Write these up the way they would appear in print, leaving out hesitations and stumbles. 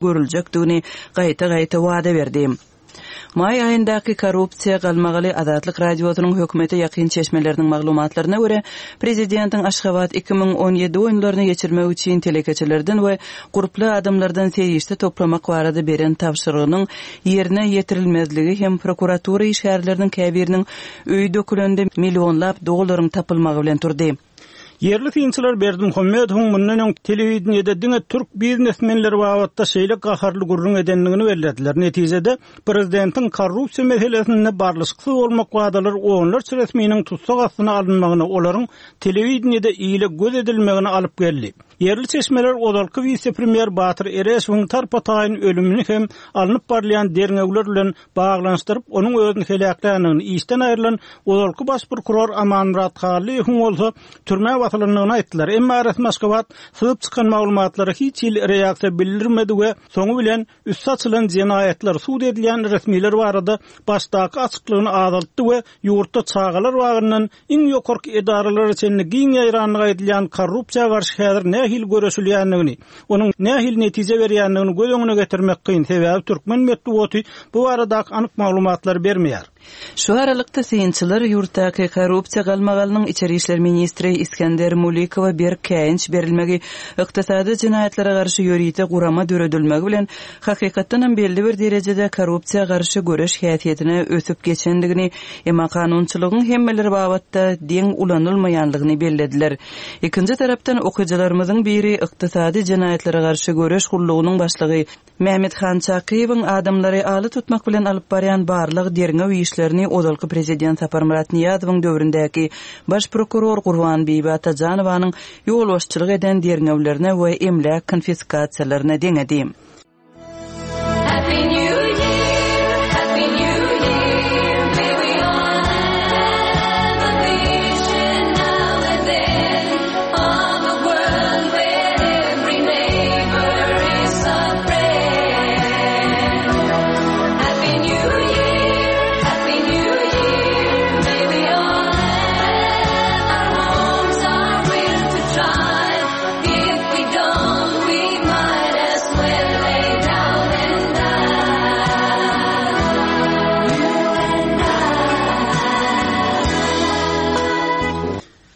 Görüljekdigini gaýta-gaýta wada berdi. Maý aýyndaky korrupsiýa galmagaly Azatlyk Radiosynyň hökümete ýakyn çeşmeleriniň maglumatlaryna görä, prezidentiň Aşgabat 2017 oýunlaryny geçirmek üçin telekeçilerden we gurply adamlardan serişde toplamak barada beren tabşyrygynyň ýerine ýetirilmezligi hem prokuratura işgärleriniň käbiriniň öýi dökülende millionlap dollaryň tapylmagy bilen turdy. Ýerli synçylar Berdimuhamedowyň mundan öň telewideniýede diňe türk biznesmenleri babatda şeýle gaharly gürrüň edendigini bellediler. Netijede, prezidentiň korrupsiýa meselesinde barlyşyksyz bolmak wadalary onlarça resminiň tussag astyna alynmagyna, olaryň telewideniýede ile göz edilmegine alyp geldi. Ýerli çeşmeler ozalky wise-premýer Batyr Ereşowyň tarpa-taýyn ölümini hem alnyp barylýan derňewler bilen baglanyşdyryp, onuň özüni heläkländigini, işden aýrylan ozalky baş prokuror Amanmyrat Hallyýewiň bolsa türmä basylandygyny aýtdylar. Emma resmi Aşgabat syzyp çykan maglumatlara hiç hili reaksiýa bildirmedi we soňy bilen üsti açylan jenaýatlar, sud edilýän resmiler barada başdaky açyklygyny azaltdy we ýurtda çagalar bagyndan Iň ýokarky edaralara çenli giň ýaýrandygy aýdylýan korrupsiýa garşy häzir nähili göreşilýändigini, onuň nähili netije berýändigini göz öňüne getirmek kyn, sebäbi türkmen metbugaty bu baradaky anyk maglumatlary bermeýär. Şu aralykda, synçylar ýurtdaky korrupsiýa galmagalynyň içeri işler ministri Isgender Mulikowa berk käýinç berilmegi, ykdysady jenaýatlara garşy ýörite gurama döredilmegi bilen hakykatdanam belli bir derejede korrupsiýa garşy göreş häsiýetine ösüp geçendigini Emma kanunçylygyň hemmeler babatda deň ulanylmaýanlygyny bellediler. Ikinji tarapdan, okyjylarymyzyň biri Ykdysady jenaýatlara garşy göreş gullugynyň başlygy Mämmethan Çakyýewiň adamlary ala tutmak bilen alyp barýan barlag-derňew işlerini ozalky prezident Saparmyrat Nyýazowyň döwründäki baş prokuror Gurbanbibi Atajanowanyň ýolbaşçylyk eden derňewlerine we emläk konfiskasiýalaryna deňedi.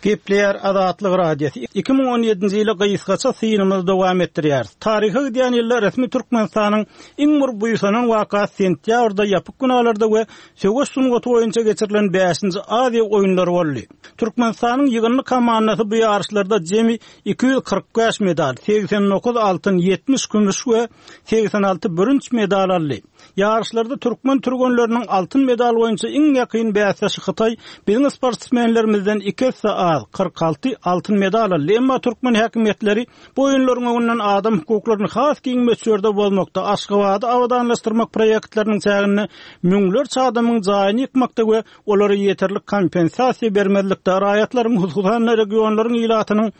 Gepleýär Azatlyk Radiosy. 2017-nji ýyla gysgaça synymyzy dowam etdirýäris. Taryha gidýän ýylda resmi Türkmenistanyň iň bir buýsanan wakasy sentýabrda ýapyk binalarda we söweş sungaty boýunça geçirilen bäşinji Aziýa oýunlary boldy. Türkmenistanyň ýygyndy komandasy bu ýaryşlarda jemi 245 medal, 89 altyn, 70 kümüş we 86 bürünç medal aldy. Ýaryşlarda türkmen türgenleriniň altyn medal boýunça iň ýakyn bäsdeşi Hytaý biziň sportsmenlerimizden iki esse az, 46 altyn medal aldy. Emma türkmen häkimiýetleri bu oýunlaryň öňünden adam hukuklaryny has giň möçberde bozmakda, Aşgabady abadanlaşdyrmak proýektleriniň çäginde müňlerçe adamyň jaýyny ýykmakda we olara ýeterlik kompensasiýa bermezlikde, raýatlaryň, hususan-da, regionlaryň ilatynyň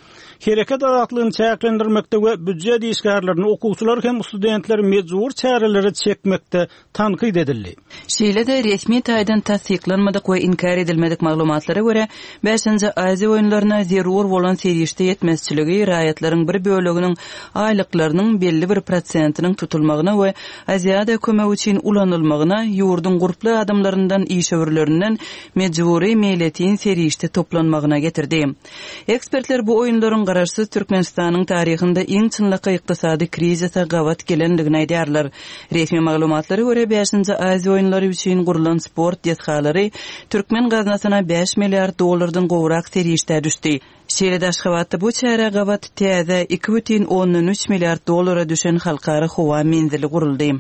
hereket azatlygyny çäklendirmekde we býujet işgärlerini, okuwçylary hem studentleri mejbury çärelere çekmekde tankyt edildi. Şeýle-de, resmi taýdan tassyklanmadyk we inkär edilmedik maglumatlara görä, Bäşinji Aziýa oýunlaryna zerur bolan serişde ýetmezçiligi raýatlaryň bir böleginiň aýlyklarynyň belli bir prosentiniň tutulmagyna we Aziada kömek üçin ulanylmagyna ýurduň gurply adamlaryndan, işewürlerinden mejbury meýletin serişde toplanmagyna getirdi. Ekspertler bu oýunlaryň garaşsyz Türkmenistanyň taryhynda iň çynlakaý ykdysady krizise gabat gelendigini aýdýarlar. Resmi maglumatlara görä, bäşinji Aziýa oýunlary üçin gurlan sport desgalary türkmen gaznasyna bäş milliard dollardan gowrak serişdä düşdi. Şeýle-de Aşgabatda bu çärä gabat täze 2,3 milliard dollara düşen halkara howa menzili guruldy.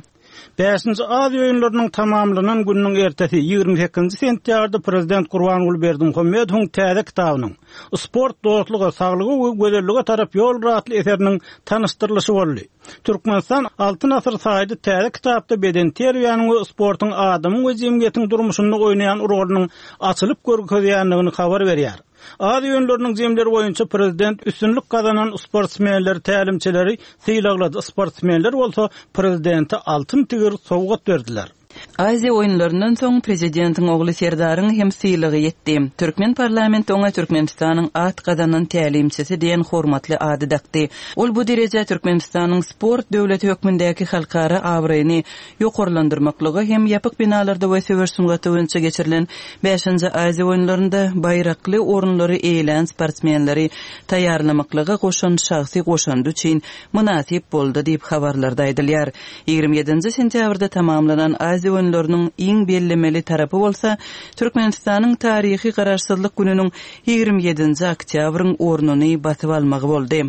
Bäşinji Aziýa oýunlarynyň tamamlanan gününiň ertesi, 28-nji sentýabrda prezident Gurbanguly Berdimuhamedowyň täze kitabynyň, Sport dostluga, saglyga we gözellige tarap ýoldur atly eseriniň tanyşdyrylyşy boldy. Türkmenistan Altyn asyr saýty täze kitapda bedenterbiýäniň we sportuň adamyň we jemgyýetiň durmuşynda oýnaýan rolunyň açylyp görkezýändigini habar berýär. Aziýa oýunlarynyň jemleri boýunça prezident üstünlik gazanan sportsmenleri, tälimçileri sylaglady, sportsmenler bolsa prezidente altyn tigir sowgat berdiler. Aziýa oýunlaryndan soň prezidentiň ogly Serdaryň hem sylagy ýetdi. Türkmen parlamenti oňa Türkmenistanyň at gazanan tälimçisi diýen hormatly ady dakdy. Ol bu derejä Türkmenistanyň sport döwleti hökmündäki halkara abraýyny ýokarlandyrmaklyga hem ýapyk binalarda we söweş sungaty boýunça geçirilen bäşinji Aziýa oýunlarynda baýrakly orunlary eýelän sportsmenleri taýýarlamaklyga goşan şahsy goşandy üçin mynasyp boldy diýip habarlarda aýdylýar. 27-nji sentýabrda tamamlanan Aziýa oýunlarynyň iň bellemeli tarapy bolsa, Türkmenistanyň taryhy Garaşsyzlyk gününiň 27-nji oktýabryň ornuny basyp almagy boldy.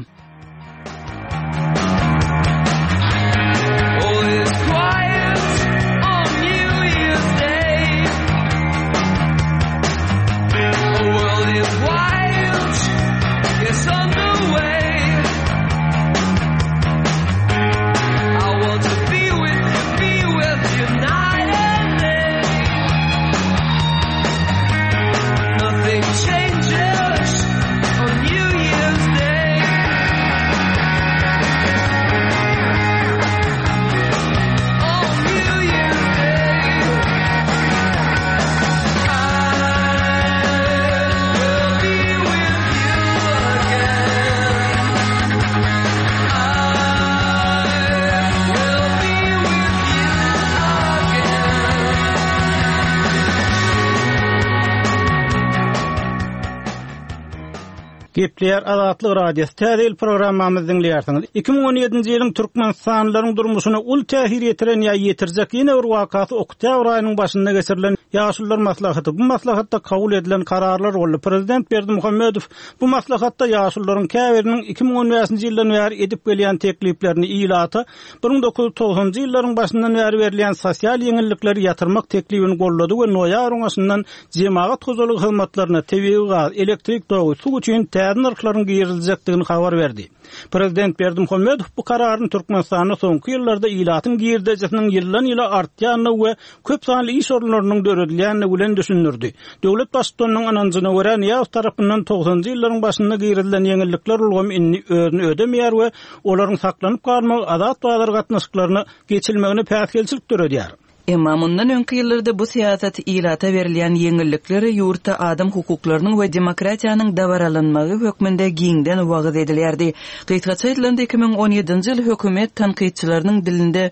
Gepleýär Azatlyk Radiosy, Täze ýyl programmamyzy diňleýärsiňiz. 2017-nji ýylyň türkmenistanlylaryň durmuşyna uly täsir ýetiren ýa ýetirjek ýene bir wakasy oktýabr aýynyň başynda geçirilen Ýaşulular maslahaty. Bu maslahatda kabul edilen kararlar boldy. Prezident Berdimuhamedow Bu maslahatda ýaşulularyň käbiriniň 2015-nji ýyldan bäri edip gelýän tekliplerini ilata 1990-njy ýyllaryň başyndan bäri berilýän sosial ýeňillikleri ýatyrmak teklibini goldady we noýabryň başyndan jemagat hojalygy hyzmatlaryna tebigy gaz, elektrik togy, suw üçin täze nyrhlaryň giriziljekdigini habar berdi. Prezident Berdimuhamedow bu kararyny Türkmenistanda soňky ýyllarda ilatyň girdejisiniň ýyldan-ýyla artýandygy we köp sanly iş orunlarynyň döredilýändigi bilen düşündirdi. Döwlet Baştutanynyň ynanjyna görä, Nyýazow tarapyndan togsanjy ýyllaryň başynda girizilen ýeňillikler ulgamy indi özüni ödemeýär we olaryň saklanyp galmagy azat bazar gatnaşyklaryna geçilmegine päsgelçilik döredýär. Emma mundan öňki ýyllarda bu syýasat ilata berilýän ýeňillikler ýurtda adam hukuklarynyň we demokratiýanyň dabaralanmagy hökmünde giňden wagyz edilýärdi. Gysgaça aýdylanda, 2017-nji ýyl hökümet tankytçylarynyň dilinde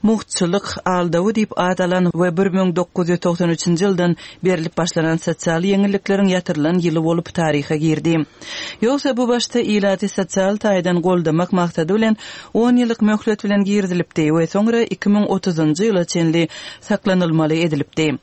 mugtçylyk aldawy diýip at alan we 1993-nji ýyldan berlip başlanan sosial ýeňillikleriň ýatyrylan ýyly bolup taryha girdi. Ýogsa bu başda ilaty sosial taýdan goldamak maksady bilen on ýyllyk möhlet bilen girizilipdi we soňra 2030-njy ýyla çenli saklanylmaly edilipdi.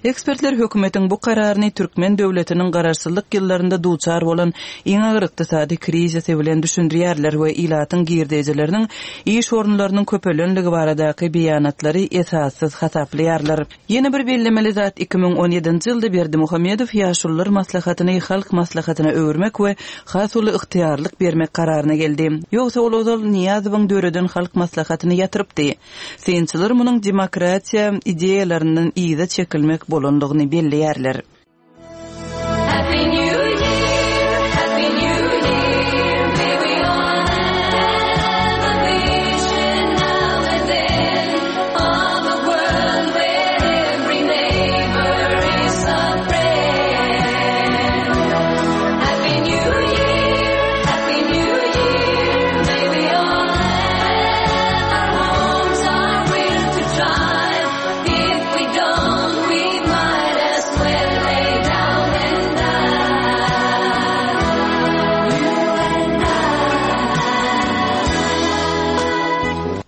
Ekspertler hökümetiň bu kararyny türkmen döwletiniň garaşsyzlyk ýyllarynda duçar bolan iň agyr ykdysady krizisi bilen düşündirýärler we ilatyň girdejileriniň, iş orunlarynyň köpelenligi baradaky beýanatlary esassyz hasaplaýarlar. Ýene bir bellemeli zat, 2017-nji ýylda Berdimuhamedow Ýaşulular maslahatyny Halk maslahatyna öwürmek we has uly ygtyýarlyk bermek kararyna geldi. Ýogsa ol ozal Nyýazowyň döreden Halk maslahatyny ýatyrypdy. Synçylar munuň demokratiýa ideýalaryndan yza çekilmek bolandygyny belleýärler.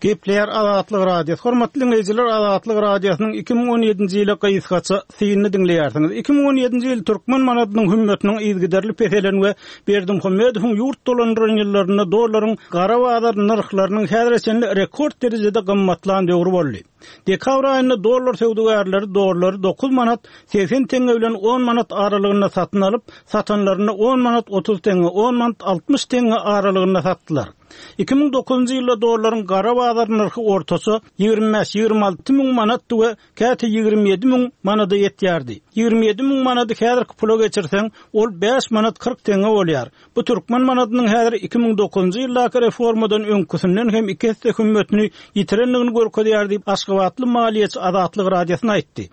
Gepleýär Azatlyk Radiosy. Hormatly diňleýjiler, Azatlyk Radiosynyň 2017-nji ýyla gysgaça synyny diňleýärsiňiz. 2017-nji ýyl türkmen manadynyň hümmetiniň yzygiderli peselen we Berdimuhamedowyň ýurt dolandyran ýyllarynda dollaryň gara bazar nyrhlarynyň häzire çenli rekord derejede gymmatlan döwri boldy. Dekabr aýynda dollar söwdagärleri dollary dokuz manat 80 teňňe bilen on manat aralygynda satyn alyp, satanlarynda on manat 30 teňňe, on manat 60 teňňe aralygynda satdylar. 2009-njy ýylda dollaryň gara bazar nyrhy ortaça 25-26 müň manatdy we käte 27 müň manada ýetýärdi. 27 müň manady häzirki pula geçirseň, ol bäş manat 40 teňňe bolýar. Bu türkmen manadynyň häzir 2009-njy ýyldaky reformadan öňküsinden hem iki esse hümmetini ýitirendigini görkezýär diýip, Aşgabat. aşgabatly maliýeçi Azatlyk Radiosyna aýtdy.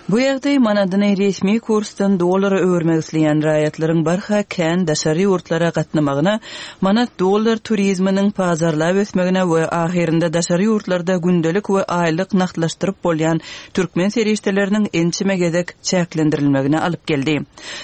Bu ýagdaý manadyny resmi kursdan dollara öwürmek isleýän raýatlaryň barha kän daşary ýurtlara gatnamagyna, manat-dollar turizminiň pajarlap ösmegine we ahyrynda daşary ýurtlarda gündelik we aýlyk nagtlaşdyryp bolýan türkmen serişdeleriniň ençeme gezek çäklendirilmegine alyp geldi.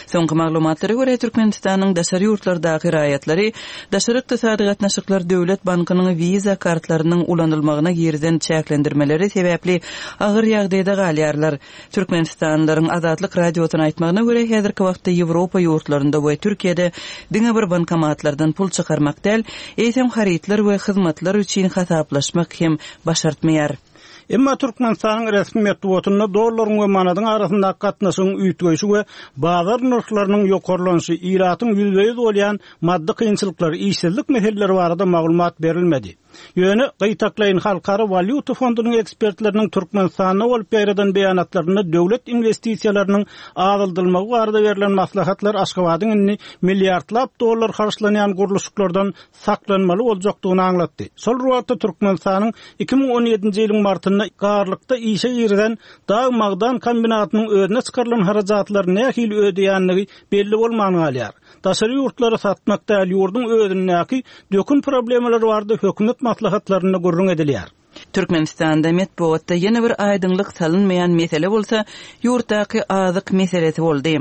Soňky maglumatlara görä, Türkmenistanyň daşary ýurtlardaky raýatlary Daşary ykdysady gatnaşyklar döwlet bankynyň Visa kartlarynyň ulanylmagyna girizen çäklendirmeleri sebäpli agyr ýagdaýda galýarlar. Türkmenistanlylaryň Azatlyk Radiosyna aýtmagyna görä, häzirki wagtda Ýewropa ýurtlarynda we Türkiýede diňe bir bankomatlardan pul çykarmak däl, eýsem harytlar we hyzmatlar üçin hasaplaşmak hem başartmaýar. Emma Türkmenistanyň resmi metbugatynda dollaryň we manadyň arasyndaky gatnaşygyň üýtgeýşi we bazar nyrhlarynyň ýokarlanyşy, ilatyň ýüzbe-ýüz bolýan maddy kynçylyklary, işsizlik meseleleri barada maglumat berilmedi. Ýöne, gytaklaýyn Halkara walýuta fondunyň ekspertleriniň Türkmenistanda bolup ýaýradan beýanatlarynda döwlet inwestisiýalarynyň azaldylmagy barada berlen maslahatlar Aşgabadyň indi milliardlap dollar harçlanýan gurluşyklardan saklanmaly boljakdygyny aňlatdy. Şol bir wagtda Türkmenistanyň 2017-nji ýylyň martynda Garlykda işe girizen dag-magdan kombinatynyň özüne çykarylan harajatlary nähili ödeýändigi belli bolman galýar. Daşary ýurtlara satmak däl, ýurduň özündäki dökün problemalary barada hökümet maslahatlarynda gürrüň edilýär. Türkmenistanda metbugatda ýene bir aýdyňlyk salynmaýan mesele bolsa, ýurtdaky azyk meselesi boldy.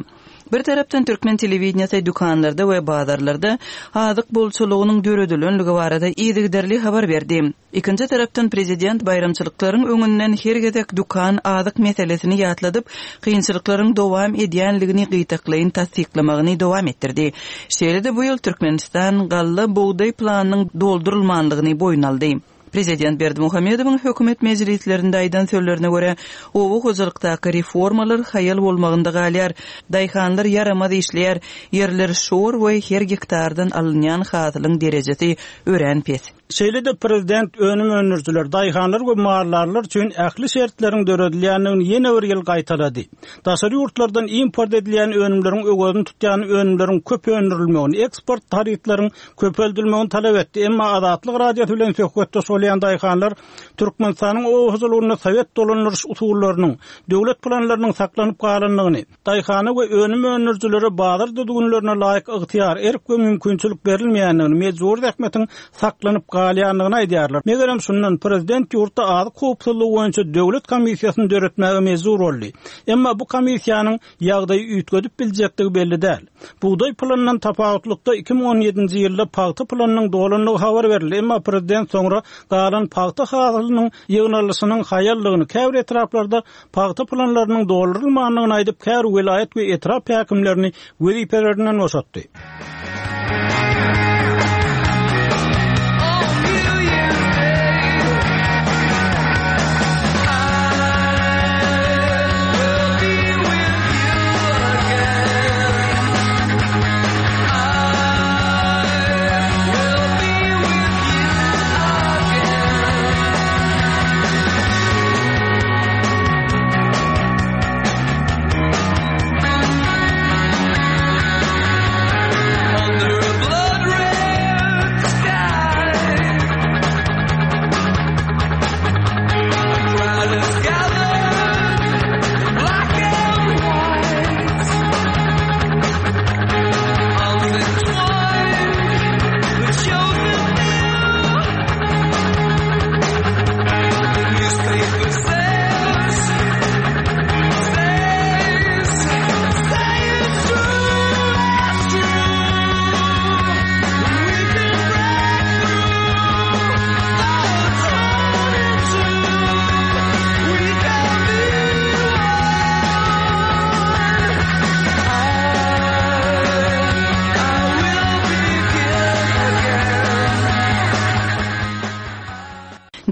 Bir tarapdan türkmen telewideniýesi dükanlarda we bazarlarda azyk bolçulygynyň döredilenligi barada yzygiderli habar berdi. Ikinji tarapdan prezident baýramçylyklaryň öňünden her gezek dükan azyk meselesini ýatladyp, kynçylyklaryň dowam edýänligini gytaklaýyn tassyklamagyny dowam etdirdi. Şeýle-de bu ýyl Türkmenistan galla bugdaý planynyň doldurylmanlygyny boýun aldy. Prezident Berdimuhamedowyň hökümet mejlislerinde aýdan sözlerine görä, oba hojalykdaky reformalar haýal bolmagynda galýar, daýhanlar ýaramaz işleýär, ýerler şor we her gektardan alynýan hasylyň derejesi örän pes. Şeýle-de prezident önüm öndürijiler, daýhanlar we maldarlar üçin ähli şertleriň döredilýändigini ýene bir ýyl gaýtalady. Daşary ýurtlardan import edilýän önümleriň öwezini tutýan önümleriň köp öndürilmegini, eksport harytlaryň köpeldilmegini talap etdi. Emma Azatlyk Radiosy bilen söhbetdeş bolýan daýhanlar Türkmenistanyň oba hojalygynda sowet dolandyryş usullarynyň, döwlet planlarynyň saklanyp galandygyny, Daýhana we önüm öndürijilere bazar düzgünlerine laýyk ygtyýar, erk we mümkinçilik berilmeýändigini, mejbury zähmetiň saklanyp galýandygyny aýdýarlar. Megerem şundan, prezident ýurtda azyk howpsuzlygy boýunça döwlet komissiýasyny döretmäge mejbur boldy. Emma bu komissiýanyň ýagdaýy üýtgedip biljekdigi belli däl. Bugdaý planyndan tapawutlykda 2017-nji ýylda pagta planynyň dolandygy habar berildi, emma prezident soňra galan pagta hasylynyň ýygnalyşynyň haýaldygyny, käbir etraplarda pagta planlarynyň doldurylmandygyny aýdyp, käbir welaýat we etrap häkimlerini wezipelerinden boşatdy.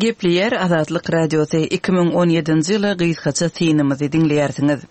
Gepleýär Azatlyk Radiosy, 2017-nji ýyla gysgaça synymyzy diňleýärsiňiz.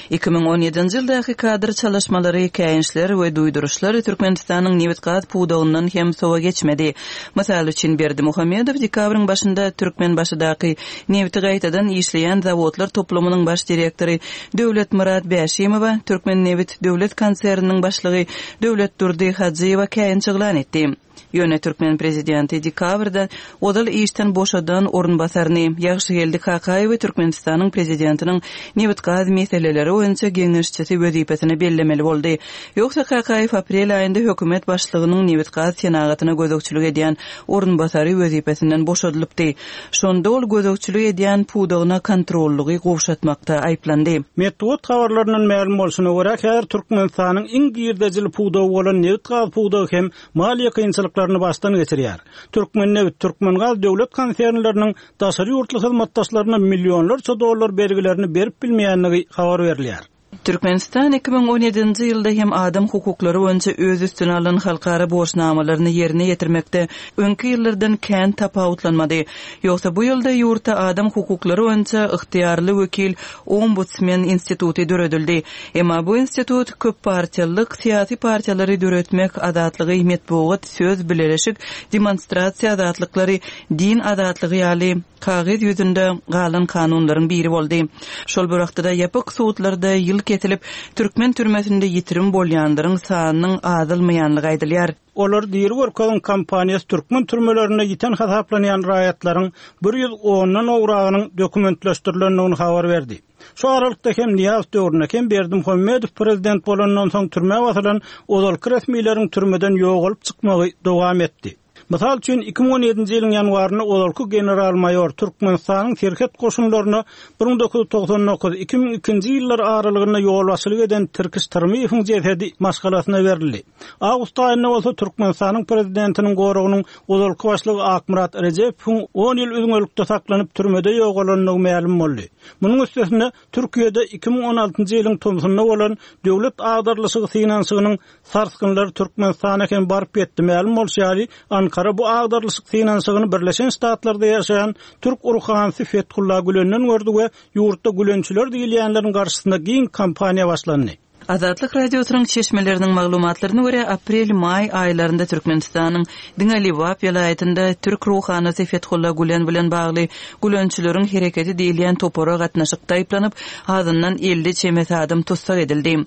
2017-nji ýyldaky kadr çalyşmalary, käýinçler we duýduryşlar Türkmenistanyň nebit-gaz pudagyndan hem sowa geçmedi. Mysal üçin, Berdimuhamedow dekabryň başynda Türkmenbaşydaky nebiti gaýtadan işleýän zawodlar toplumynyň baş direktory Döwletmyrat Bäşimowa, Türkmennebit döwlet konserniniň başlygy Döwletdurdy Hajyýewe käýinç yglan etdi. Ýöne türkmen prezidenti dekabrda ozal işden boşadan orunbasaryny, Ýagşygeldi Kakaýewi Türkmenistanyň prezidentiniň nebit-gaz meseleleri boýunça geňeşçisi wezipesine bellemeli boldy. Ýogsa Kakaýew aprel aýynda hökümet başlygynyň nebit-gaz senagatyna gözegçilik edýän orunbasary wezipesinden boşadylypdy. Şonda ol gözegçilik edýän pudagyna kontrollygy gowşatmakda aýyplandy. Metbugat habarlaryndan mälim bolşuna görä, häzir Türkmenistanyň iň girdejili pudagy bolan nebit-gaz pudagy hem maliýe kynçylyklaryny başdan geçirýär. Türkmennebit, Türkmengaz döwlet konsernleriniň daşary ýurtly hyzmatdaşlaryna millionlarça dollar bergilerini berip bilmeýändigi habar berilýär. Türkmenistan 2017-nji ýylda hem adam hukuklary boýunça öz üstüne alan halkara borçnamalaryny ýerine ýetirmekde öňki ýyllardan kän tapawutlanmady. Ýogsa bu ýylda ýurtda adam hukuklary boýunça ygtyýarly wekil, ombudsmen instituty döredildi. Emma bu institut köppartiýalylyk, syýasy partiýalary döretmek azatlygy, metbugat, söz, bileleşik, demonstrasiýa azatlyklary, din azatlygy ýaly kagyz ýüzünde galan kanunlaryň biri boldy. Şol bir wagtda-da ýapyk sudlarda ýyl kesilip, türkmen türmesinde ýitirim bolýanlaryň sanynyň azalmaýanlygy aýdylýar. Olary diri görkeziň kampaniýasy türkmen türmelerinde ýiten hasaplanýan raýatlaryň bir 110-dan gowragynyň dokumentleşdirilendigini habar berdi. Şu aralykda hem Nyýazow döwründe, hem Berdimuhamedow prezident bolandan soň türmä basylan ozalky resmileriň türmeden ýogalyp çykmagy dowam etdi. Mysal üçin, 2017-nji ýylyň ýanwarynda ozalky general-maýor, Türkmenistanyň serhet goşunlaryna 1999, 2002-nji ýyllar aralygynda ýolbaşçylyk eden Tirkiş Tyrmyýewiň jesedi maşgalasyna berildi. Awgust aýynda bolsa Türkmenistanyň Prezidentiniň goragynyň ozalky başlygy Akmyrat Rejepowyň on ýyl üzňelikde saklanyp, türmede ýogalandygy mälim boldy. Munuň üstesine, Türkiýede 2016-njy ýylyň tomsunda bolan döwlet agdarylyşygy synanyşygynyň sarsgynlary Türkmenistana hem baryp ýetdi. Mälim bolşy ýaly, Ankara bu agdarylyşyk synanyşygyny Birleşen Ştatlarda ýaşaýan türk ruhanysy Fethullah Gülenden gördi we ýurtda gülençiler diýilýänleriň garşysyna giň kampaniýa başlandy. Azatlyk Radiosynyň çeşmeleriniň maglumatlaryna görä, aprel-maý aýlarynda Türkmenistanyň diňe Lebap welaýatynda türk ruhanysy Fethullah Gülen bilen bagly Gülençileriň hereketi diýilýän topara gatnaşykda aýyplanyp, azyndan 50 çemesi adam tussag edildi.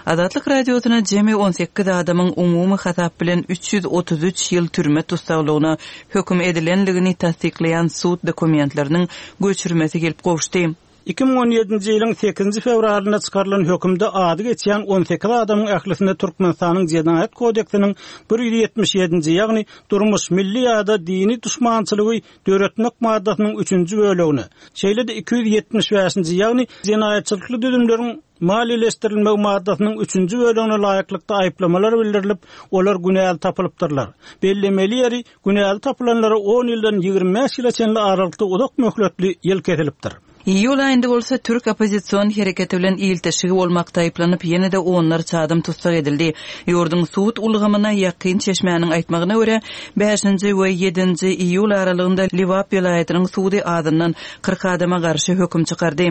Azatlyk Radiosyna jemi 18 adamyň umumy hasap bilen 333 ýyl türme tussaglygyna höküm edilendigini tassyklaýan sud dokumentleriniň göçürmesi gelip gowuşdy. 2017-nji ýylyň sekizinji fewralynda çykarylan hökümde ady geçýän 18 adamyň ählisine Türkmenistanyň Jenaýat kodeksiniň 177-nji, ýagny durmuş, milli ýa-da dini duşmançylygy döretmek maddasynyň üçünji bölegine, şeýle-de 275-nji, ýagny jenaýatçylykly düzümleriň maliýeleşdirilmegi maddasynyň üçünji bölegine laýyklykda aýyplamalar bildirilip, olar günäli tapylypdyrlar. Bellemeli ýeri, Günäli tapylanlara on ýyldan 25 ýyla çenli aralykda uzak möhletli ýyl kesilipdir. Iýul aýynda bolsa türk oppozision hereketi bilen ilteşigi bolmakda aýyplanyp, ýene-de onlarça adam tussag edildi. Ýurduň sud ulgamyna ýakyn çeşmäniň aýtmagyna görä, bäşinji we ýedinji iýul aralygynda Lebap welaýatynyň sudy azyndan 40 adama garşy höküm çykardy.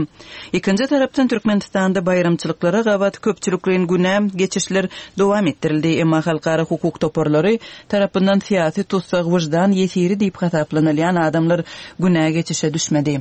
Ikinji tarapdan Türkmenistanda baýramçylyklara gabat köpçülikleýin günä geçişler dowam etdirildi, emma halkara hukuk toparlary tarapyndan syýasy tussag, wyždan ýesiri diýip hasaplanylýan adamlar günä geçişe düşmedi.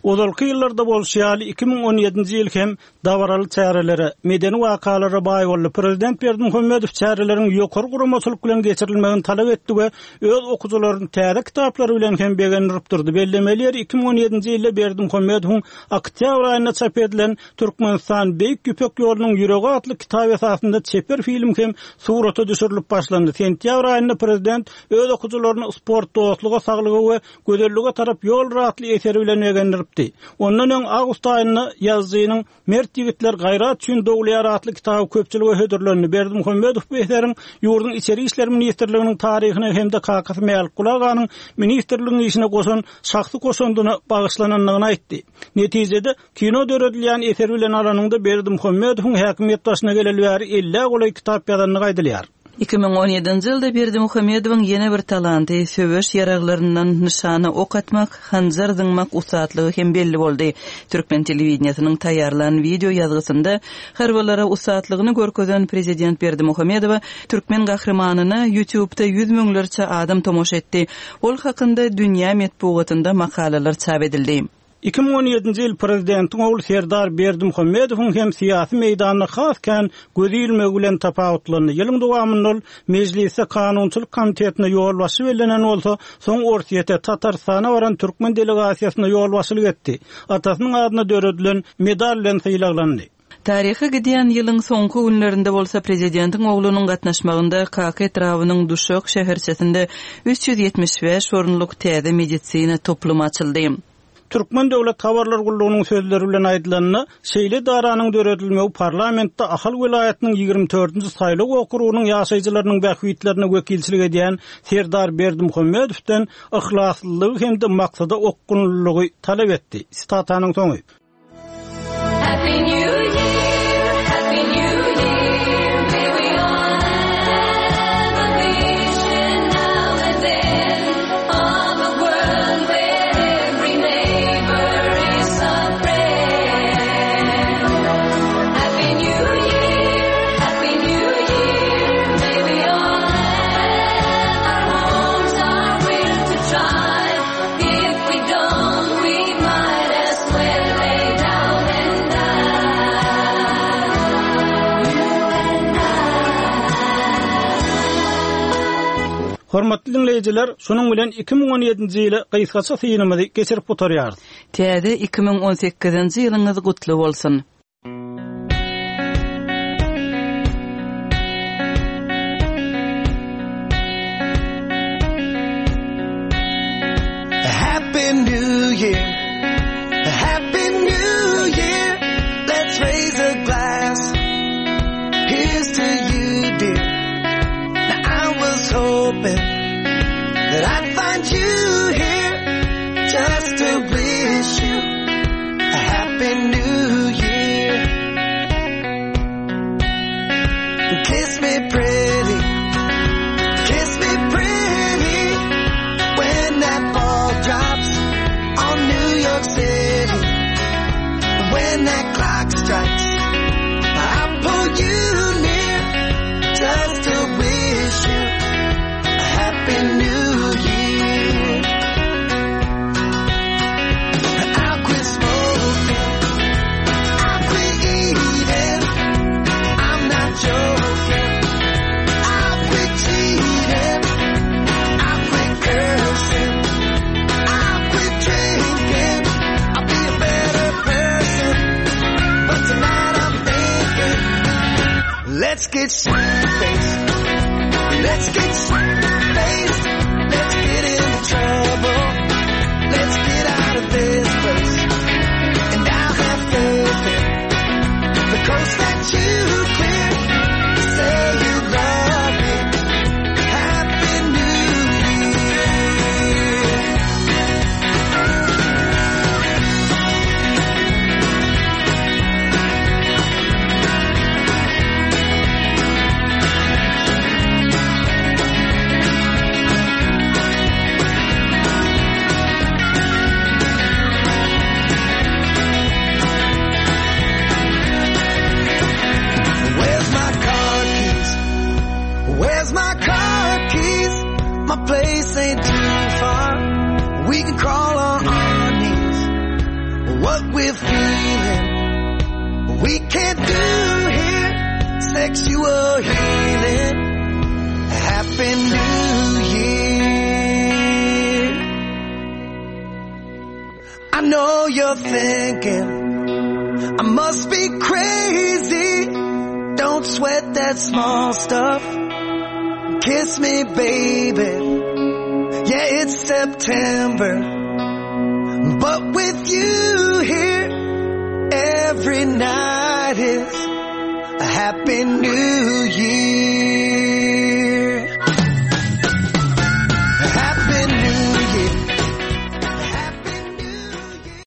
Ozalky ýyllarda bolşy ýaly, 2017-nji ýyl hem dabaraly çärelere, medeni wakalara baý boldy. Prezident Berdimuhamedow çäreleriň ýokary guramaçylyk bilen geçirilmegini talap etdi we öz okyjylaryny täze kitaplary bilen hem begendirip durdy. Bellemeli ýeri, 2017-nji ýylda Berdimuhamedowyň oktýabr aýynda çap edilen Türkmenistan, Beýik Ýüpek ýolunyň ýüregi atly kitap esasynda çeper film hem surata düşürilip başlandy. Sentýabr aýynda prezident öz okyjylaryny Sport dostluga, saglyga we gözellige tarap ýoldur atly eseri bilen begendiripdi. Ondan öň awgust aýynda ýazyjynyň Mert ýigitler gaýrat üçin dogulýar atly kitaby köpçülige hödürlendi. Berdimuhamedow bu eseriň ýurduň Içeri işler ministrliginiň taryhyna hem-de kakasy Mälikguly aganyň ministrligiň işine goşan şahsy goşandyna bagyşlanandygyny aýtdy. Netijede, Kino döredilýän eser bilen alanyňda Berdimuhamedowyň häkimiýet başyna geleli bäri ellä golaý kitap ýazandygy aýdylýar. 2017-nji ýylda Berdimuhamedowyň ýene bir talanty, söweş ýaraglaryndan nyşana ok atmak, hanjar zyňmak ussatlygy hem belli boldy. Türkmen telewideniýesiniň taýýarlan wideo ýazgysynda harbylara ussatlygyny görkezen prezident Berdimuhamedowa türkmen gahrymanyna YouTube-da ýüz müňlerçe adam tomaşa etdi. Ol hakynda dünýä metbugatynda makalalar çap edildi. 2017-nji ýyl prezidentiň ogly Serdar Berdimuhamedowyň hem syýasy meýdanda has kän gözi ilmegi bilen tapawutlandy. Ýylyň dowamynda ol Mejlisde kanunçylyk komitetine ýolbaşçy bellenen bolsa, soň Orsýete, Tatarystana baran türkmen delegasiýasyna ýolbaşçylyk etdi. Atasynyň adyna döredilen medal bilen sylaglandy. Taryha gidýän ýylyň soňky günlerinde bolsa prezidentiň oglunyň gatnaşmagynda Kaka etrabynyň Duşak şäherçesinde 375 orunlyk täze medisina toplumy açyldy. Türkmen döwlet habarlar gullugynyň sözleri bilen aýdylanda, şeýle edaranyň döredilmegi parlamentde Ahal welaýatynyň ýigrimi dördünji saýlaw okrugynyň ýaşaýjylarynyň bähbitlerine wekilçilik edýän Serdar Berdimuhamedowdan yhlaslylygy hem-de maksada okgunlylygy talap etdi. Sitatanyň soňy. Hormatly diňleýjiler, şunuň bilen 2017-nji ýyla gysgaça synymyzy geçirip gutarýarys. Täze 2018-nji ýylyňyz gutly bolsun! Happy New Year Happy New Year Let's raise a glass Here's to you dear Now I was hoping That I'd find you here Just to wish you A happy new year Kiss me pretty Kiss me pretty When that ball drops On New York City When that clock strikes I pull you near Just to wish you A happy new year I'll quit smoking I'll quit eating I'm not joking I'll quit cheating I'll quit cursing I'll quit drinking I'll be a better person But tonight I'm thinking Let's get faced Let's get faced Let's get in trouble Let's get out of this place And I'll have faith in The coast that you clear Say you love me Happy New Year Where's my car keys? Where's my car keys? My place ain't too far. We can crawl on our knees. What we're feeling, we can't do here. Sexual healing. Happy New Year. I know you're thinking I must be crazy. Don't sweat that small stuff. Kiss me, baby. Yeah, it's September. But with you here, every night is a happy new year.